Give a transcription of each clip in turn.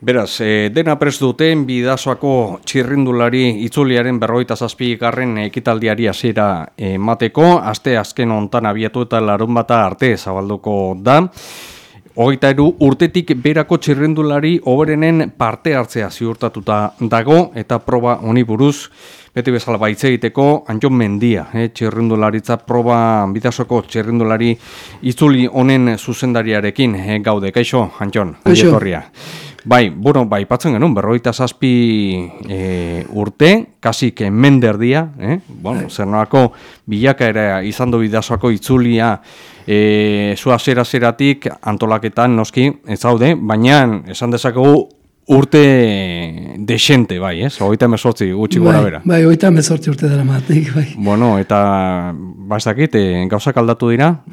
Beraz, dena prest duten Bidasoako txirrindulari itzuliaren 47. ekitaldiari hasiera emateko, aste azken hontan abiatu eta larunbata arte zabalduko da. 23 urtetik berako txirrindulari hoberenen parte hartzea ziurtatuta dago eta proba honi buruz beti bezala baitze egiteko Antxon Mendia, txirrindularitza proba Bidasoko txirrindulari itzuli honen zuzendariarekin gaude. Kaixo, Antxon, ongetorria. Bai, patzen genuen, 47 urte, kasik menderdia, zer nolako bilakaera izan du Bidasoako itzulia zua zera-zeratik antolaketan noski ez zaude, baina esan dezakegu urte desente, bai, ez? 38 gutxi gora bera. Bai, 38 urte dara matik, bai. Bueno, eta bastakit, gauzak aldatu dira?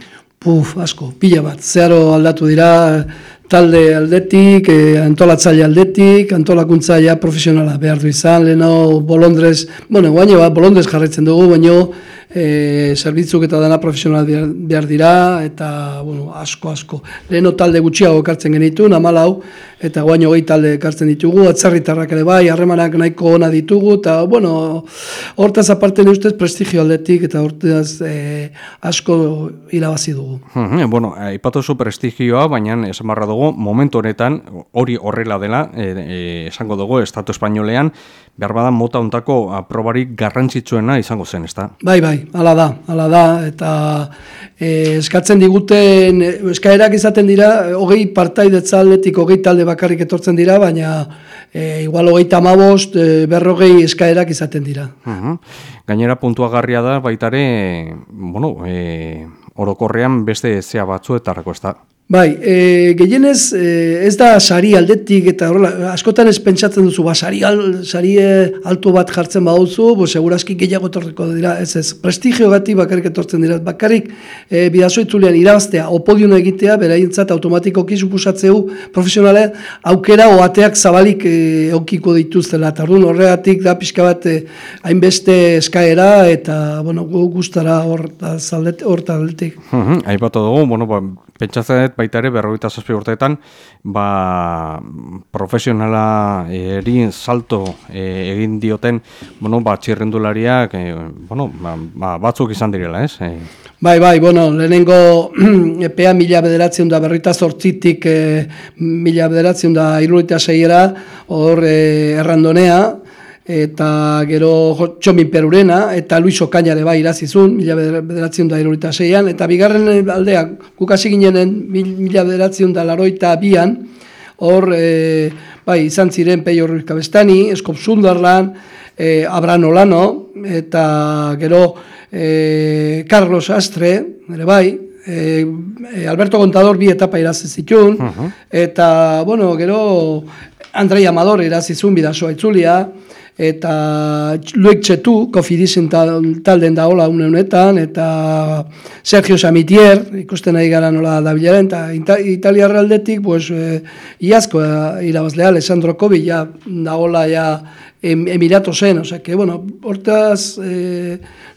Asko, pila bat. Zeharo aldatu dira, talde aldetik, antolatzaile aldetik, antolakuntza ja profesionala behar du izan, leheno bolondrez, bolondrez jarraitzen dugu, baino zerbitzuk eta dana profesional behar dira, eta asko. Leheno talde gutxiago ekartzen genituen, 14, eta guain 20 talde ekartzen ditugu, atzerritarrak ere bai, harremanak nahiko ona ditugu, eta hortaz aparte ustez prestigio aldetik, eta hortaz asko irabazi dugu. Aipatu zu prestigioa, baina esan barra dugu, momentu honetan, hori horrela dela, esango dugu, Estatu Espainolean, behar badan mota hontako probarik garrantzitsuena izango zen, ezta? Bai, hala da, eta eskatzen diguten, eskaerak izaten dira, 20 partaidetza aldetik, 20 talde bakarrik etortzen dira, baina igual 35, 40 eskaerak izaten dira. Gainera puntuagarria da, baitare, orokorrean beste zea batzuetarako, ez da? Bai, gehienez ez da sari aldetik eta horrela, askotan ez pentsatzen duzu, sari alto bat jartzen baduzu, segurazki gehiago etorriko dira, ez, prestigio gati bakarrik etortzen dira, bakarrik Bidaso itzulean irabaztea, opodiuna egitea, beraientzat automatikoki supusatzeu profesionale aukera oateak zabalik eukiko dituztela, eta horregatik da pixka bat hainbeste eskaera, eta gustara horta aldetik. Aipatu dugu, pentsatzen baita ere 47 urteetan profesionala salto egin dioten txirrindulariak batzuk izan direla, ez? Bai, lehenengo epea 1948tik 1976era hor errandonea, eta gero Txomin Perurena, eta Luis Okainare bai irazizun, 1976an, eta bigarren aldeak, gukasi ginenen 1982an, hor izan ziren Peio Ruiz Kabestani, Eskop Sundarlan, Abraham Olano, eta gero Carlos Astre, ere bai, Alberto Contador bi etapa irazizitun, eta gero Andrei Amador irazizun Bidasoa itzulia, eta Luek Txetu, Kofidisen talden da hola honetan, eta Sergio Samitier, ikusten nahi gara nola dabilaren, eta italiarra aldetik, iazko irabazlea, Alessandro Kobi, da hola Emirato zen, hortaz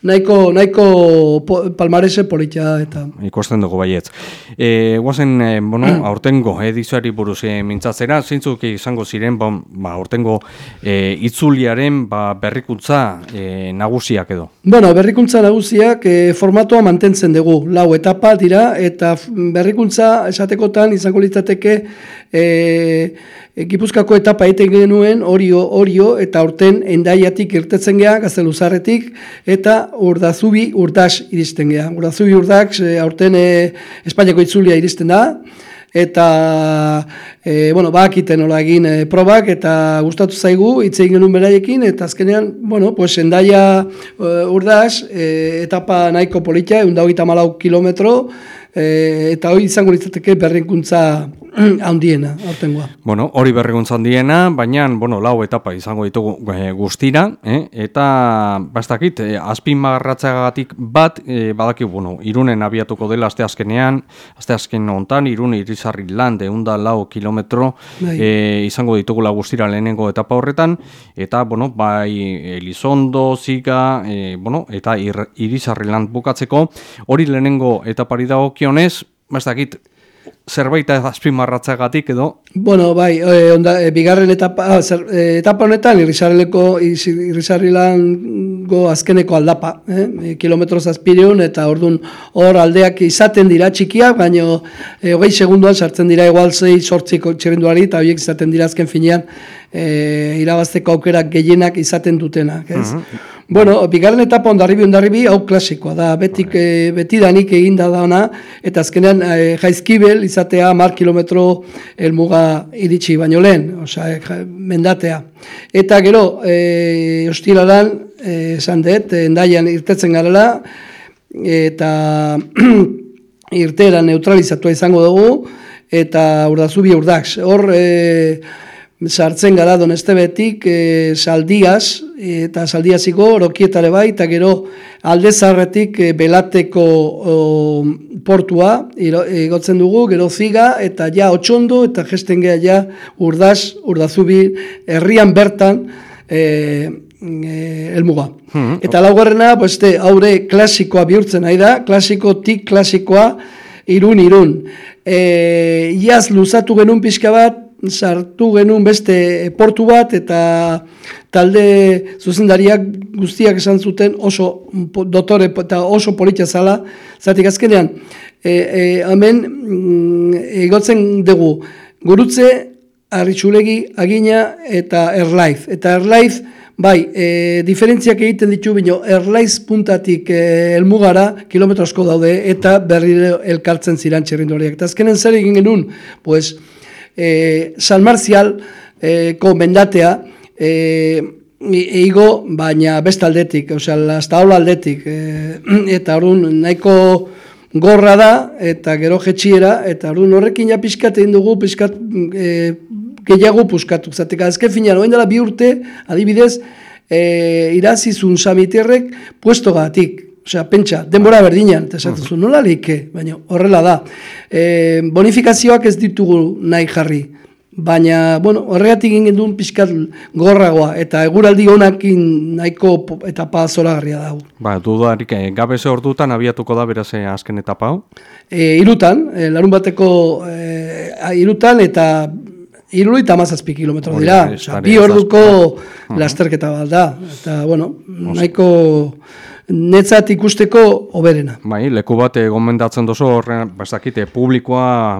nahiko palmarese politia eta... Ikusten dugu baietz. Guazen, aurtengo edizioari buruz mintzatzera, zeintzuk izango ziren, aurtengo itzuliaren berrikuntza nagusiak edo? Berrikuntza nagusiak formatoa mantentzen dugu, 4 etapa dira, eta berrikuntza esatekotan izango litzateke Gipuzkoako etapa egiten genuen Orio eta aurten Hendaiatik irtetzen gea, Gazteluzarretik, eta Urdas iristen gea. Urdas aurten Espainiako itzulia iristen da, eta bakiten nola egin probak eta gustatu zaigu, hitz egin genuen beraiekin, eta azkenean, Hendaia Urdas etapa nahiko politia, 124 kilometro, eta hori izango litzateke berrikuntza handiena, aurtengoa. Hori berrikuntza handiena, baina, 4 etapa izango ditugu guztira, eta bastakit, azpimarratzeagatik bat, badaki, Irunen abiatuko dela asteazken hontan, Irun Irizarri lan, 104 kilometro izango ditugula guztira lehenengo etapa horretan, eta, bai Elizondo, Ziga, eta Irizarri lan bukatzeko, hori lehenengo etapari dagokionez, bastakit, zerbait azpimarratzagatik edo? Bueno, bai, bigarren etapa honetan Irrisarrilango azkeneko aldapa, kilometro zazpireun, eta orduan hor aldeak izaten dira txikiak, baina 20 segunduan sartzen dira igual 6-8 txirrinduari, eta horiek izaten dira azken finean irabazteko aukerak gehienak izaten dutenak, ez? Bueno, bigarren etapa ondarribi, hau klasikoa da, betidanik eginda dauna, eta azkenean Jaizkibel izatea 10 kilometro helmuga iritsi baino lehen, mendatea. Eta gero, ostiralan, esan dut, Hendaian irtetzen garela, eta irteera neutralizatua izango dugu, eta Urdazubi Urdax. Hor, sartzen gara Donestebetik Saldiaz, eta Saldiaziko Orokietare bai, eta gero Aldezarretik Belateko portua igotzen dugu, gero Ziga, eta ja Otxondo, eta gesten geha ja Urdazubi herrian bertan helmuga. Eta laugarrena, haure klasikoa bihurtzen nahi da, klasikoa irun. Iaz luzatu genuen pixka bat, sartu genuen beste portu bat, eta talde zuzendariak guztiak esan zuten oso dotore eta oso politia zala, zatik azkenean, hemen egotzen dugu Gurutze, Arritxulegi, Agina eta Erlaiz. Eta Erlaiz, bai, diferentziak egiten ditu, bino Erlaiz puntatik helmugara kilometro asko daude, eta berriro elkartzen ziren txirrindulariak. Eta azkenen zer egin genuen, pues, San Marzialko mendatea eigo, baina beste aldetik, Lastaola aldetik, eta orduan nahiko gorra da, eta gero jetxiera, eta orduan horrekin ja pixkat egin dugu, pixkat gehiago puskatu. Zatek, azken finean, oen dela 2 urte, adibidez, irazizun Samiterrek puestogatik. Pentsa, denbora berdinan, eta esatuzu, nola leike, baina horrela da. Bonifikazioak ez ditugu nahi jarri, baina, bueno, horregatik egin duen pixkat gorragoa, eta eguraldi honakin nahiko etapa zoragarria dago. Ba, dudarik, gabeze ordutan abiatuko da beraz azken etapa hau? Irutan, larun bateko irutan, eta 37 kilometro dira, 2 orduko lasterketa bat da, eta, bueno, nahiko netzat ikusteko hoberena. Bai, leku bat gomendatzen dozu horren, ez dakite, publikoa,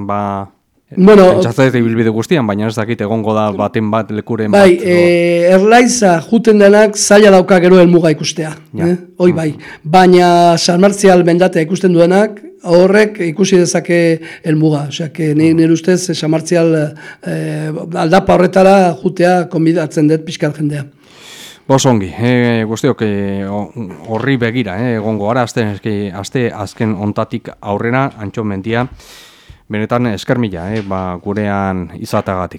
pentsatzen ibilbide guztian, baina ez dakite egongo da baten bat lekuren bat. Bai, Erlaiza juten denak zaila dauka gero helmuga ikustea, hoi bai. Baina San Martzial mendatea ikusten duenak, horrek ikusi dezake helmuga. Nire ustez San Martzial aldapa horretara jutea konbidatzen dut pixkar jendea. Bosongi, guztiok horri begira, egongo gara, aste azken ontatik aurrera, Antxo Mendia, benetan esker mila, gurean izatagatik.